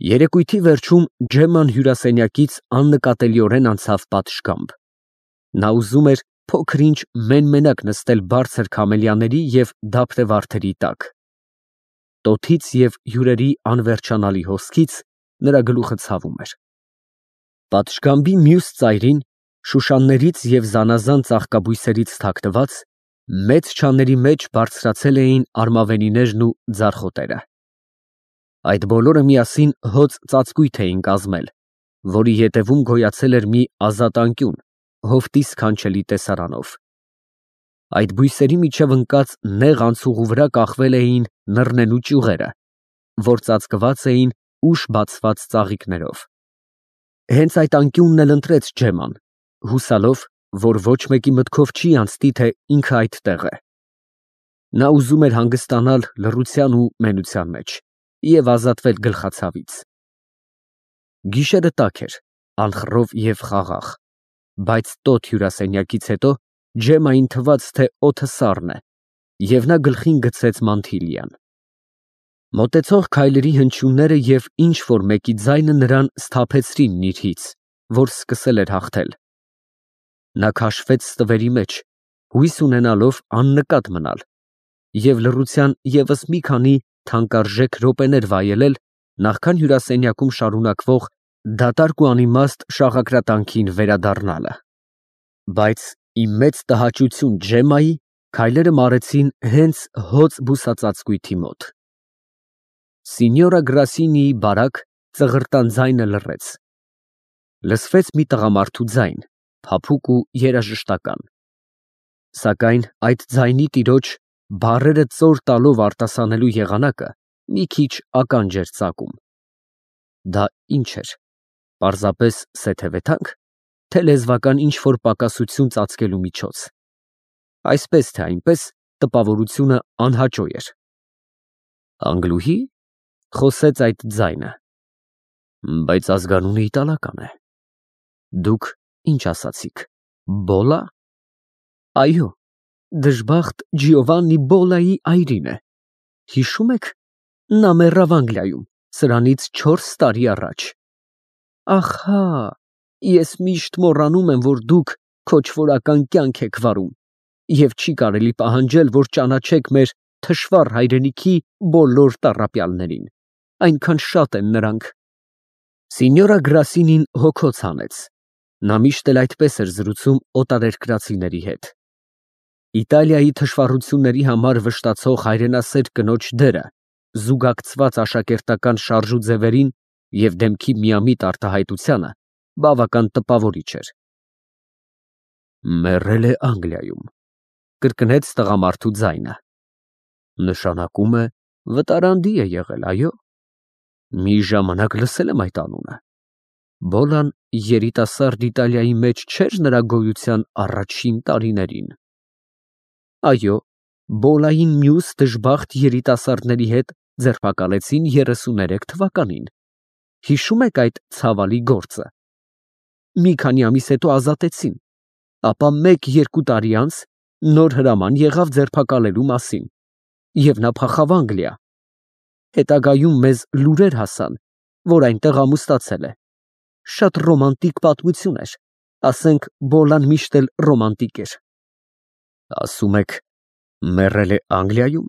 Երեկույթի վերջում Ջեմման հյուրասենյակից աննկատելիորեն անցավ պատշգամբ։ Նա ուզում էր փոքր-ինչ մեն֊մենակ նստել բարձր քամելյաների և դափնե վարդերի տակ։ Տոթից և հյուրերի անվերջանալի հոսքից նրա գլուխը ցավում էր։ Պատշգամբի մյուս ծայրին, շուշաններից և զանազան ծաղկաբույսերից թաքնված, մեծ չաների մեջ բարձրացել էին արմավենիներն ու ձարխոտերը։ Այդ բոլորը միասին հոծ ծածկույթ էին կազմել, որի ետևում գոյացել էր մի ազատ անկյուն, հովտի սքանչելի տեսարանով։ Այդ բույսերի միջև ընկած նեղ անցուղու վրա կախվել էին նռնենու ճյուղերը, որ ծածկված էին ուշ բացված ծաղիկներով։ Հենց այդ անկյունն էլ ընտրեց Ջեմման, հուսալով, որ ոչ մեկի մտքով չի անցնի, թե ինքը այդտեղ է։ Նա ուզում էր հանգստանալ լռության ու մենության մեջ և ազատվել գլխացավից։ Գիշերը տաք էր, անխռով և խաղաղ, բայց տոտ հյուրասենյակից հետո Ջեմմային թվաց, թե օդը սառն է, և նա գլխին գցեց մանթիլիան։ Մոտեցող քայլերի հնչյունները և ինչ֊որ մեկի ձայնը նրան սթափեցրին նիրհից, որ սկսել էր հաղթել։ Նա քաշվեց ստվերի մեջ, հույս ունենալով աննկատ մնալ և լռության ևս մի քանի թանկարժեք րոպեներ վայելել, նախքան հյուրասենյակում շարունակվող դատարկ ու անիմաստ շաղակրատանքին վերադառնալը։ Բայց ի մեծ տհաճություն Ջեմմայի, քայլերը մարեցին հենց հոծ բուսածածկույթի մոտ։ Սինյորա Գրասինիի բարակ ծղրտան ձայնը լռեց։ Լսվեց մի տղամարդու ձայն, փափուկ ու երաժշտական։ Սակայն այդ ձայնի տիրոջ, բառերը ծոր տալով արտասանելու եղանակը մի քիչ ականջ էր ծակում։ Դա ի՞նչ էր, պարզապես սեթևեթա՞նք, թե լեզվական ինչ֊որ պակասություն ծածկելու միջոց։ Այսպես թե այնպես, տպավորությունը անհաճո էր։ Անգլուհի՞, խոսեց այդ ձայնը, բայց ազգանունը իտալական է։ Դուք ինչ ասացիք, Բոլա։ Այո, դժբախտ Ջիովաննի Բոլայի այրին է։ Հիշո՞ւմ եք, նա մեռավ Անգլիայում, սրանից 4 տարի առաջ։ Ահա, ես միշտ մոռանում եմ, որ դուք քոչվորական կյանք եք վարում, և չի կարելի պահանջել, որ ճանաչեք մեր թշվառ հայրենիքի բոլոր տառապյալներին, այնքան շատ են նրանք։ Սինյորա Գրասինին հոգոց հանեց. նա միշտ էլ այդպես էր զրուցում օտարերկրացիների հետ։ Իտալիայի թշվառությունների համար վշտացող հայրենասեր կնոջ դերը, զուգակցված աշակերտական շարժուձևերին և դեմքի միամիտ արտահայտությանը, բավական տպավորիչ էր։ Մեռել է Անգլիայում, կրկնեց տղամարդու ձայնը։ Նշանակում է, վտարանդի է եղել, այո։ Մի ժամանակ լսել եմ այդ անունը։ Բոլան երիտասարդ Իտալիայի մեջ չէր նրա գոյության առաջին տարիներին։ Այո, Բոլային մյուս դժբախտ երիտասարդների հետ ձերբակալեցին 33 թվականին։ Հիշո՞ւմ եք այդ ցավալի գործը։ Մի քանի ամիս հետո ազատեցին, ապա 1-2 տարի անց նոր հրաման եղավ ձերբակալելու մասին, և նա փախավ Անգլիա։ Հետագայում մեզ լուրեր հասան, որ այնտեղ ամուսնացել է։ Շատ ռոմանտիկ պատմություն էր, ասենք Բոլան միշտ էլ ռոմանտիկ էր։ Ասում եք, մեռել է Անգլիայում։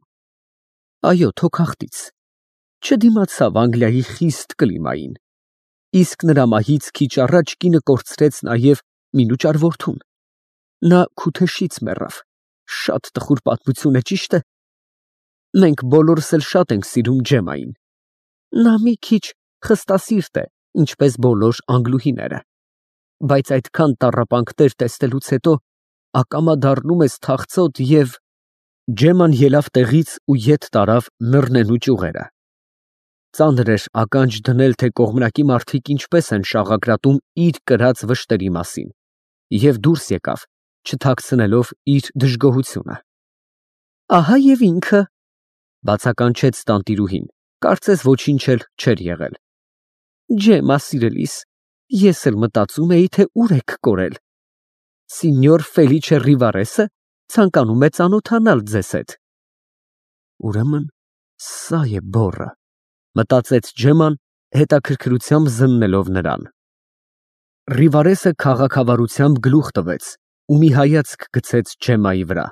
Այո, թոքախտից։ Չդիմացավ Անգլիայի խիստ կլիմային, իսկ նրա մահից քիչ առաջ կինը կորցրեց նաև մինուճար որդուն։ Նա քութեշից մեռավ։ Շատ տխուր պատմություն է, ճիշտ է։ Մենք բոլորս էլ շատ ենք սիրում Ջեմմային։ Նա մի քիչ խստասիրտ է, ինչպես բոլոր անգլուհիները, բայց այդքան տառապանքներ տեսնելուց հետո ակամա դառնում ես թախծոտ և… Ջեմման ելավ տեղից ու ետ տարավ նռնենու ճյուղերը։ Ծանր էր ականջ դնել, թե կողմնակի մարդիկ ինչպես են շաղակրատում իր կրած վշտերի մասին, և դուրս եկավ, չթաքցնելով իր դժգոհությունը։ Ահա և ինքը, բացականչեց տանտիրուհին, կարծես ոչինչ էլ չէր եղել։ Ջեմմա սիրելիս, ես էլ մտածում էի, թե ուր եք կորել։ Սինյոր Ֆելիչե Ռիվարեսը ցանկանում է ծանոթանալ ձեզ հետ։ Ուրեմն սա է բոռը, մտածեց Ջեմման, հետաքրքրությամբ զննելով նրան։ Ռիվարեսը քաղաքավարությամբ գլուխ տվեց ու մի հայացք գցեց Ջեմայի վրա,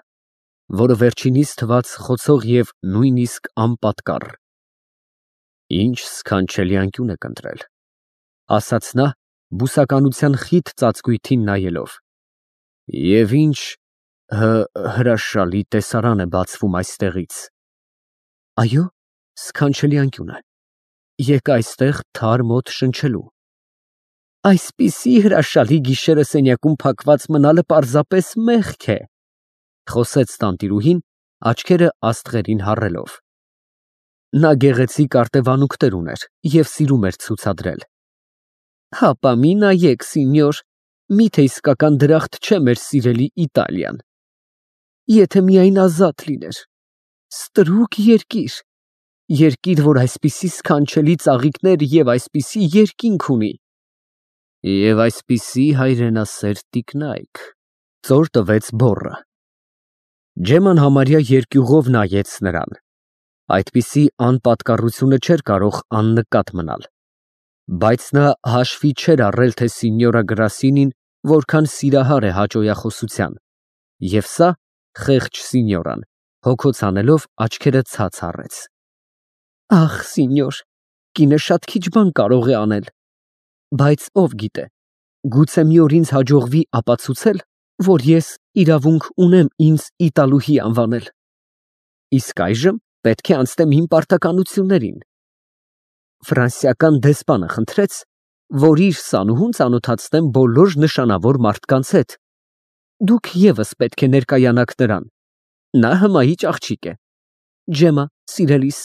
որը վերջինիս թվաց խոցող և նույնիսկ անպատկառ։ Ինչ սքանչելի անկյուն եք ընտրել, ասաց նա, բուսականության խիտ ծածկույթին նայելով, և ինչ հրաշալի տեսարան է բացվում այստեղից։ Այո, սքանչելի անկյուն է, եկ այստեղ թարմ օդ շնչելու։ Այսպիսի հրաշալի գիշերը սենյակում փակված մնալը պարզապես մեղք է, խոսեց տանտիրուհին, աչքերը աստղերին հառելով։ Նա գեղեցիկ արտևանունքներ ուներ և սիրում էր ցուցադրել։ Հապա մի նայեք, սինյոր, միթե իսկական դրախտ չէ մեր սիրելի Իտալիան։ Եթե միայն ազատ լիներ, ստրուկ երկիր, երկիր, որ այսպիսի սքանչելի ծաղիկներ և այսպիսի երկինք ունի։ Եվ այսպիսի հայրենասեր տիկնայք, ծոր տվեց բոռը։ Ջեման համարյա երկյուղով նայեց նրան։ Այդպիսի անպատկառությունը չէր կարող աննկատ մնալ, բայց նա հաշվի չէր առել, թե սինյորա Գրասինին որքան սիրահար է հաճոյախոսության, և սա, խեղճ սինյորան, հոգոց անելով աչքերը ցած առեց։ Ախ, սինյոր, կինը շատ քիչ բան կարող է անել, բայց ով գիտե, գուցե մի օր ինձ հաջողվի ապացուցել, որ ես իրավունք ունեմ ինձ Իտալուհի անվանել։ Իսկ այժմ պետք է անցնեմ իմ պարտականություններին։ Ֆրանսիական դեսպանը խնդրեց, որ իր սանուհուն ծանոթացնեմ բոլոր նշանավոր մարդկանց հետ։ Դուք ևս պետք է ներկայանաք նրան։ Նա հմայիչ աղջիկ է։ Ջեմա, սիրելիս,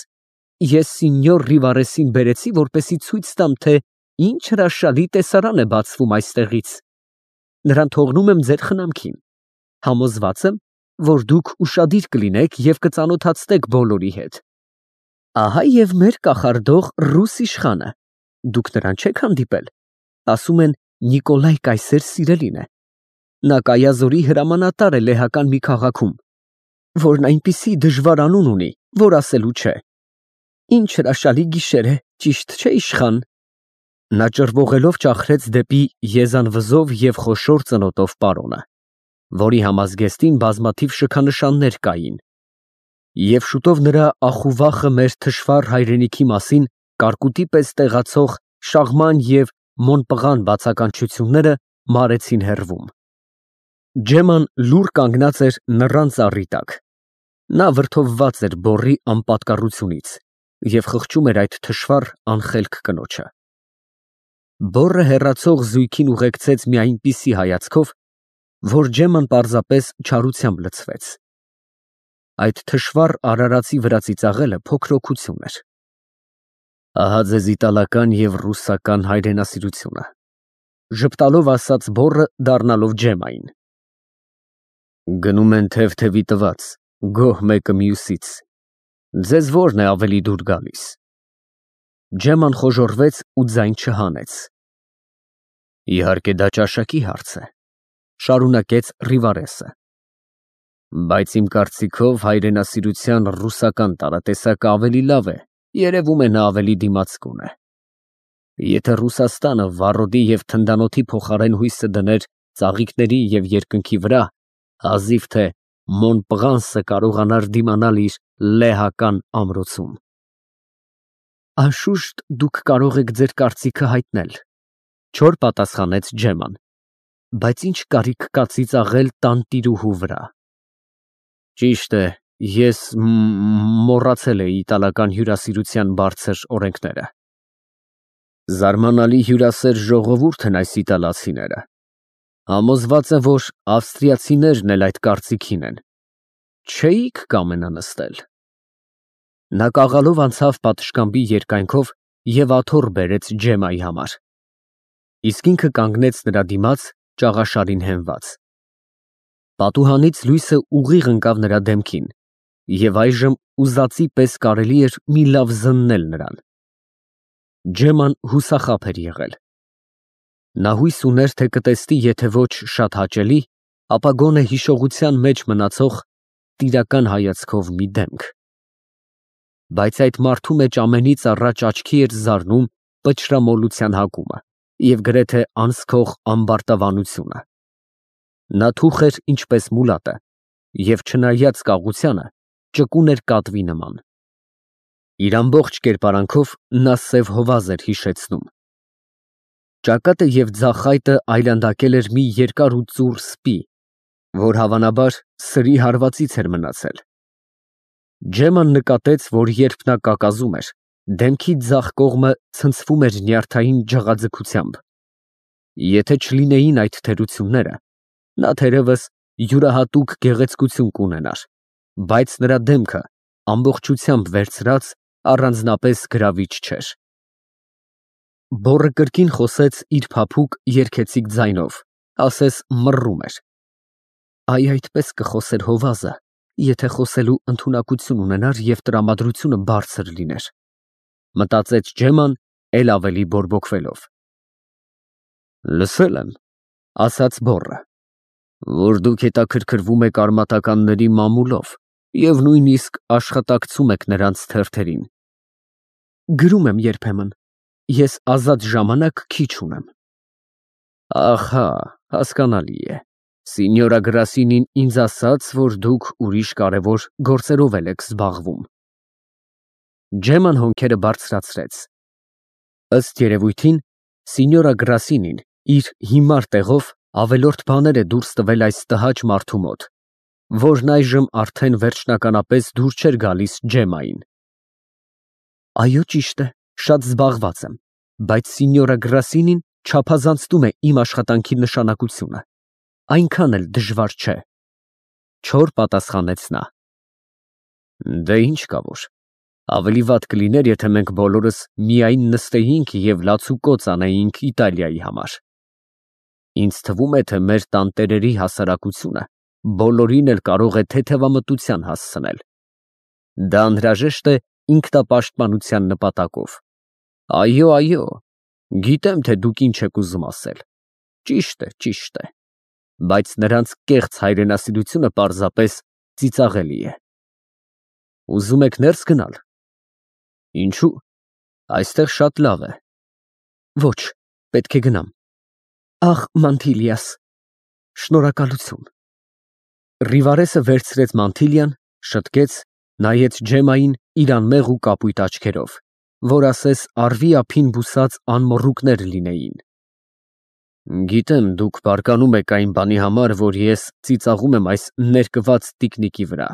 ես սինյոր Ռիվարեսին բերեցի, որպեսզի ցույց տամ, թե ինչ հրաշալի տեսարան է բացվում այստեղից։ Նրան թողնում եմ ձեր խնամքին։ Համոզված եմ, որ դուք ուշադիր կլինեք և կծանոթացնեք բոլորի հետ։ Ահա և մեր կախարդող ռուս իշխանը։ Դուք նրան չեք հանդիպել։ Ասում են Նիկոլայ կայսեր սիրելին է։ Նա Կայազորի հրամանատար է լեհական մի քաղաքում, որն այնպիսի դժվար անուն ունի, որ ասելու չէ։ Ինչ հրաշալի գիշեր է, ճիշտ չէ, իշխան։ Նա ճռվողելով ճախրեց դեպի եզանվզով և խոշոր ծնոտով պարոնը, որի համազգեստին բազմաթիվ շքանշաններ կային, և շուտով նրա ախուվախը մեր թշվառ հայրենիքի մասին կարկուտի պես տեղացող շաղման և մոնպղան բացականչությունները մարեցին հեռվում։ Ջեման լուռ կանգնած էր նռան ծառի տակ։ Նա վրդովված էր բոռի անպատկառությունից և խղճում էր այդ թշվառ անխելք կնոջը։ Բոռը հեռացող զույգին ուղեկցեց մի այնպիսի հայացքով, որ Ջեման պարզապես չարությամբ լցվեց։ Այդ թշվառ արարածի վրա ծիծաղելը փոքրօգություն էր։ Ահա ձեզ իտալական և ռուսական հայրենասիրությունը, ժպտալով ասաց բոռը, դառնալով Ջեմային։ Գնում են թև-թևի տված, գոհ մեկը մյուսից։ Ձեզ որն է ավելի դուր գալիս։ Ջեման խոժոռվեց ու ձայն չհանեց։ Իհարկե դա ճաշակի հարց է, շարունակեց Ռիվարեսը, բայց իմ կարծիքով հայրենասիրության ռուսական տարատեսակը ավելի լավ է, երևում է նա ավելի դիմացկուն է։ Եթե Ռուսաստանը վառոդի և թնդանոթի փոխարեն հույսը դներ ծաղիկների և երկնքի վրա, հազիվ թե Մոնպղանսը կարողանար դիմանալ իր լեհական ամրոցում։ Անշուշտ դուք կարող եք ձեր կարծիքը հայտնել, չոր պատասխանեց Ջեման, բայց ինչ կարիք կա ծիծաղել տանտիրուհու վրա։ Ճիշտ է, ես մոռացել էի իտալական հյուրասիրության բարձր օրենքները։ Զարմանալի հյուրասեր ժողովուրդ են այս իտալացիները։ Համոզված եմ, որ ավստրիացիներն էլ այդ կարծիքին են։ Չէի՞ք կամենա նստել։ Նա կաղալով անցավ պատշգամբի երկայնքով և աթոռ բերեց Ջեմայի համար, իսկ ինքը կանգնեց նրա դիմաց ճաղաշարին հենված։ Պատուհանից լույսը ուղիղ ընկավ նրա դեմքին, և այժմ ուզածի պես կարելի էր մի լավ զննել նրան։ Ջեման հուսախաբ էր եղել։ Նա հույս ուներ, թե կտեսնի եթե ոչ շատ հաճելի, ապա գոնե հիշողության մեջ մնացող տիրական հայացքով մի դեմք։ Բայց այդ մարդու մեջ ամենից առաջ աչքի էր զարնում պճրամոլության հակումը և գրեթե անզքող ամբարտավանությունը։ Նա թուխ էր ինչպես մուլատը և չնայած կաղությանը ճկուն էր կատվի նման։ Իր ամբողջ կերպարանքով նա սև հովազ էր հիշեցնում։ Ճակատը և ձախ այտը այլանդակել էր մի երկար ու ծուռ սպի, որ հավանաբար սրի հարվածից էր մնացել։ Ջեման նկատեց, որ երբ նա կակազում էր, դեմքի ձախ կողմը ցնցվում էր նյարդային ջղաձգությամբ։ Եթե չլինեին այդ թերությունները, նա թերևս յուրահատուկ գեղեցկություն կունենար, բայց նրա դեմքը ամբողջությամբ վերցրած առանձնապես գրավիչ չէր։ Բոռը կրկին խոսեց իր փափուկ երգեցիկ ձայնով, ասես մռռում էր. «Այ այդպես կխոսեր հովազը, եթե խոսելու ընդունակություն ունենար և տրամադրությունը բարձր լիներ», մտածեց Ջեման էլ ավելի բորբոքվելով։ «Լսել եմ, ֊ ասաց բոռը, ֊ որ դուք հետաքրքրվում եք արմատականների մամուլով և նույնիսկ աշխատակցում եք նրանց թերթերին»։ Գրում եմ երբեմն, ես ազատ ժամանակ քիչ ունեմ։ Ահա, հասկանալի է, Սինյորա Գրասինին ինձ ասաց, որ դուք ուրիշ կարևոր գործերով էլ եք զբաղվում։ Ջեման հոնքերը բարձրացրեց։ Ըստ երևույթին, Սինյորա Գրասինին իր հիմար տեղով ավելորդ բաներ է դուրս տվել այս տհաճ մարդու մոտ, որն այժմ արդեն վերջնականապես դուր չէր գալիս Ջեմային։ Այո, ճիշտ է, շատ զբաղված եմ, բայց Սինյորա Գրասինին չափազանցնում է իմ աշխատանքի նշանակությունը, այնքան էլ դժվար չէ, չոր պատասխանեց նա։ Դե ինչ կա որ, ավելի վատ կլիներ, եթե մենք բոլորս միայն նստեինք և լացուկոծ անեինք Իտալիայի համար։ Ինձ թվում է, թե մեր տանտերերի հասարակությունը բոլորին էլ կարող է թեթևամտության հասցնել։ Դա անհրաժեշտ է ինքնապաշտպանության նպատակով։ Այո, այո, գիտեմ, թե դուք ինչ եք ուզում ասել։ Ճիշտ է, բայց նրանց կեղծ հայրենասիրությունը պարզապես ծիծաղելի է։ Ուզում եք ներս գնալ։ Ինչու՞։ Այստեղ շատ լավ է։ Ոչ, պետք է գնամ։ Ախ, Մանթիլիաս, շնորհակալություն։ Ռիվարեսը վերցրեց մանթիլիան, շտկեց, նայեց Ջեմային իր անմեղ ու կապույտ աչքերով, որ ասես առվի ափին բուսած անմոռուկներ լինեին։ Գիտեմ, դուք բարկանում եք այն բանի համար, որ ես ծիծաղում եմ այս ներկված տիկնիկի վրա,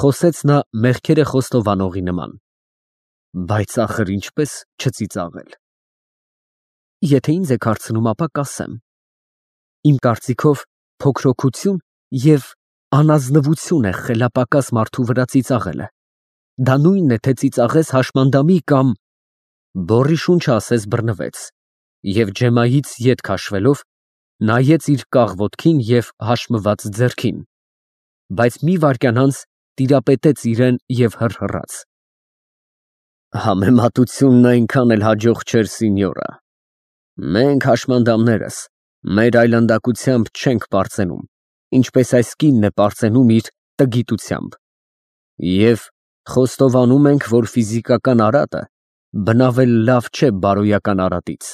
խոսեց նա մեղքերը խոստովանողի նման, բայց ախր ինչպես չծիծաղել։ Եթե ինձ եք հարցնում, ապա կասեմ. իմ կարծիքով փոքրոքություն և անազնվություն է խելապակաս մարդու վրա ծիծաղելը։ Դա նույնն է, թե ծիծաղես հաշմանդամի կամ… Բոռի շունչը ասես բռնվեց, և Ջեմայից ետ քաշվելով, նայեց իր կաղ ոտքին և հաշմված ձեռքին, բայց մի վայրկյան անց տիրապետեց իրան և հռհռաց. Համեմատությունն այնքան էլ հաջող չէր, Սինյորա։ Մենք հաշմանդամներս մեր այլանդակությամբ չենք պարծենում, ինչպես այս կինն է պարծենում իր տգիտությամբ, և խոստովանում ենք, որ ֆիզիկական արատը բնավ էլ լավ չէ բարոյական արատից։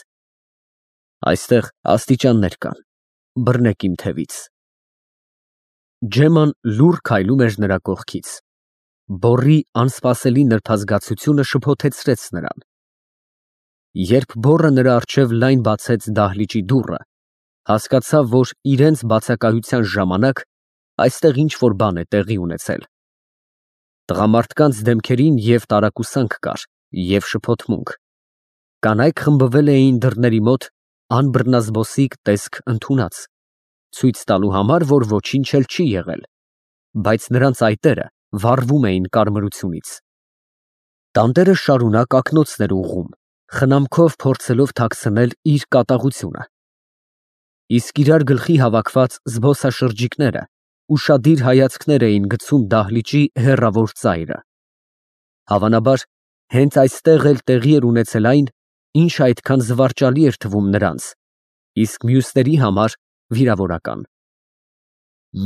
Այստեղ աստիճաններ կան, բռնեք իմ թևից։ Ջեման լուռ քայլում էր նրա կողքից։ Բոռի անսպասելի նրբազգացությունը շփոթեցրեց նրան։ Երբ բոռը նրա առջև լայն բացեց դահլիճի դուռը, հասկացավ, որ իրենց բացակայության ժամանակ այստեղ ինչ֊որ բան է տեղի ունեցել։ Տղամարդկանց դեմքերին և տարակուսանք կար, և շփոթմունք։ Կանայք խմբվել էին դռների մոտ անբռնազբոսիկ տեսք ընդունած, ցույց տալու համար, որ ոչինչ էլ չի եղել, բայց նրանց այտերը վառվում էին կարմրությունից։ Տանտերը շարունակ ակնոցներ ուղղում, խնամքով փորձելով թաքցնել իր կատաղությունը։ Իսկ իրար գլխի հավաքված զբոսաշրջիկները ուշադիր հայացքներ էին գցում դահլիճի հեռավոր ծայրը։ Հավանաբար, հենց այստեղ էլ տեղի էր ունեցել այն, ինչը այդքան զվարճալի էր թվում նրանց, իսկ մյուսների համար վիրավորական։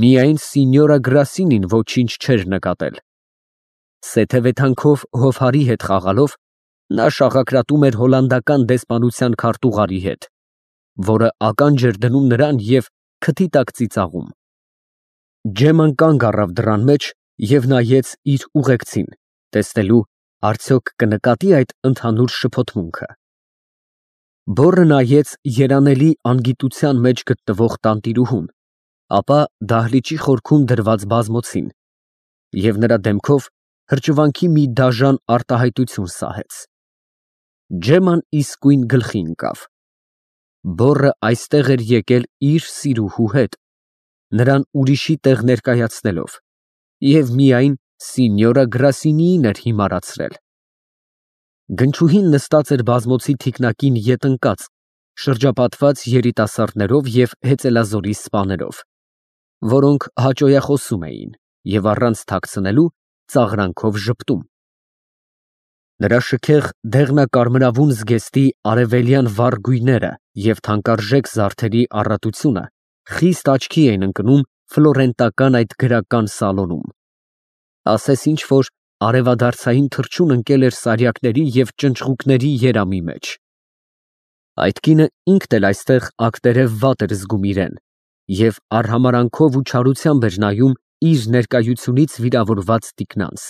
Միայն Սինյորա Գրասինին ոչինչ չէր նկատել։ Սեթևեթանքով հովհարի հետ խաղալով, Նա շաղակրատում էր հոլանդական դեսպանության քարտուղարի հետ, որը ականջ էր դնում նրան և քթի տակ ծիծաղում։ Ջեման կանգ առավ դռան մեջ և նայեց իր ուղեկցին, տեսնելու արդյոք կնկատի այդ ընդհանուր շփոթմունքը։ Բոռը նայեց երանելի անգիտության մեջ գտնվող տանտիրուհուն, ապա դահլիճի խորքում դրված բազմոցին և նրա դեմքով հրճվանքի մի դաժան արտահայտություն սահեց։ Ջեման իսկույն գլխի ընկավ։ Բոռը այստեղ էր եկել իր սիրուհու հետ, նրան ուրիշի տեղ ներկայացնելով, և միայն սինյորա Գրասինիին էր հիմարացրել։ Գնչուհին նստած էր բազմոցի թիկնակին ետ ընկած, շրջապատված երիտասարդներով և հեծելազորի սպաներով, որոնք հաճոյախոսում էին և առանց թաքցնելու ծաղրանքով ժպտում։ Նրա շքեղ դեղնակարմրավուն զգեստի արևելյան վառ գույները և թանկարժեք զարդերի առատությունը խիստ աչքի էին ընկնում ֆլորենտական այդ գրական սալոնում։ Ասես ինչ֊որ արևադարձային թռչուն ընկել էր սարյակների և ճնճղուկների երամի մեջ։ Այդ կինը ինքն էլ այստեղ ակտերև վատ էր զգում իրեն և արհամարհանքով ու չարությամբ էր նայում իր ներկայությունից վիրավորված տիկնանց։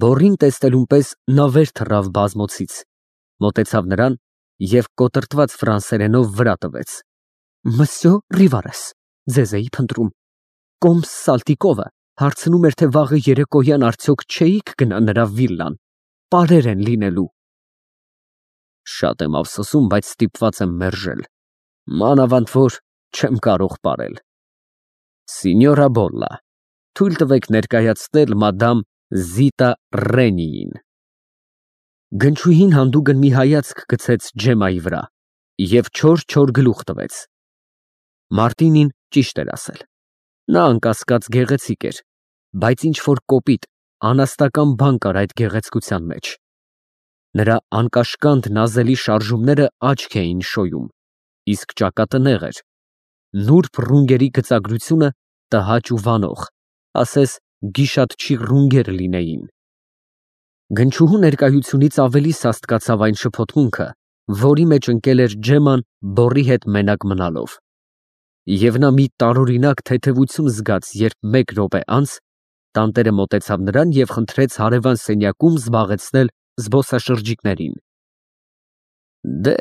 Բոռին տեսնելուն պես նա վեր թռավ բազմոցից, մոտեցավ նրան և կոտրտված ֆրանսերենով վրա տվեց։ Մսյո Ռիվարես, ձեզ էի փնտրում։ Կոմս Սալտիկովը հարցնում էր, թե վաղը երեկոյան արդյոք չէիք գնա նրա վիլլան, պարեր են լինելու։ Շատ եմ ափսոսում, բայց ստիպված եմ մերժել, մանավանդ որ չեմ կարող պարել։ Սինյորա Բոլլա, թույլ տվեք ներկայացնել մադամ Զիտա Ռենիին։ Գնչուհին հանդուգն մի հայացք գցեց Ջեմայի վրա և չոր գլուխ տվեց։ Մարտինին ճիշտ էր ասել։ Նա անկասկած գեղեցիկ էր, բայց ինչ֊որ կոպիտ, անաստական բան կար այդ գեղեցկության մեջ։ Նրա անկաշկանդ նազելի շարժումները աչք էին շոյում, իսկ ճակատը նեղ էր, նուրբ ռունգերի գծագրությունը տհաճ ու վանող, ասես գիշատչի ռունգեր լինեին։ Գնչուհու ներկայությունից ավելի սաստկացավ այն շփոթմունքը, որի մեջ ընկել էր Ջեման բոռի հետ մենակ մնալով։ Եվ նա մի տարօրինակ թեթևություն զգաց, երբ մեկ րոպե անց տանտերը մոտեցավ նրան և խնդրեց հարևան սենյակում զբաղեցնել զբոսաշրջիկներին։ Դե,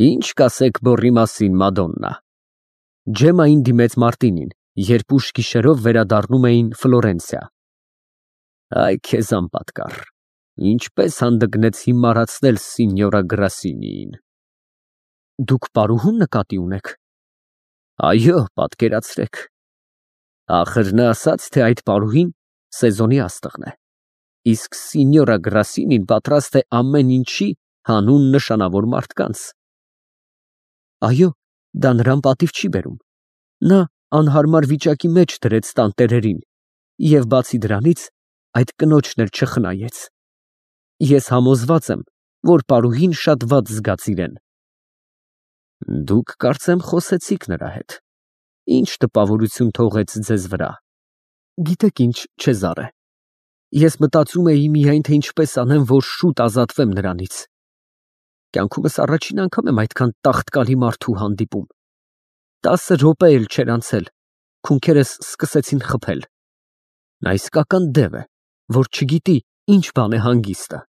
ի՞նչ կասեք բոռի մասին, Մադոննա։ Ջեմային դիմեց Մարտինին, երբ ուշ գիշերով վերադառնում էին Ֆլորենցիա։ Այ քեզ անպատկառ, ինչպես հանդգնեց հիմարացնել սինյորա Գրասինիին։ Դուք պարուհու՞ն նկատի ունեք։ Այո, պատկերացրեք։ Ախր նա ասաց, թե այդ պարուհին սեզոնի աստղն է, իսկ սինյորա Գրասինին պատրաստ է ամեն ինչի հանուն նշանավոր մարդկանց։ Այո, դա նրան պատիվ չի բերում։ Նա անհարմար վիճակի մեջ դրեց տանտերերին և բացի դրանից այդ կնոջն էլ չխնայեց։ Ես համոզված եմ, որ պարուհին շատ վատ զգաց իրեն։ Դուք, կարծեմ, խոսեցիք նրա հետ։ Ինչ տպավորություն թողեց ձեզ վրա։ Գիտեք ինչ, Չեզարե, ես մտածում էի միայն, թե ինչպես անեմ, որ շուտ ազատվեմ նրանից։ Կյանքումս առաջին անգամ եմ այդքան տաղտկալի մարդու հանդիպում։ 10 րոպե էլ չէր անցել, քունքերս սկսեցին խփել։ Նա իսկական դև է, որ չգիտի ինչ բան է հանգիստը։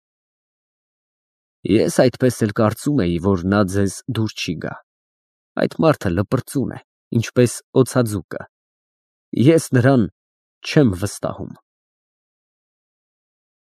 Ես այդպես էլ կարծում էի, որ նա ձեզ դուր չի գա։ Այդ մարդը լպրծուն է, ինչպես օձաձուկը։ Ես նրան չեմ վստահում։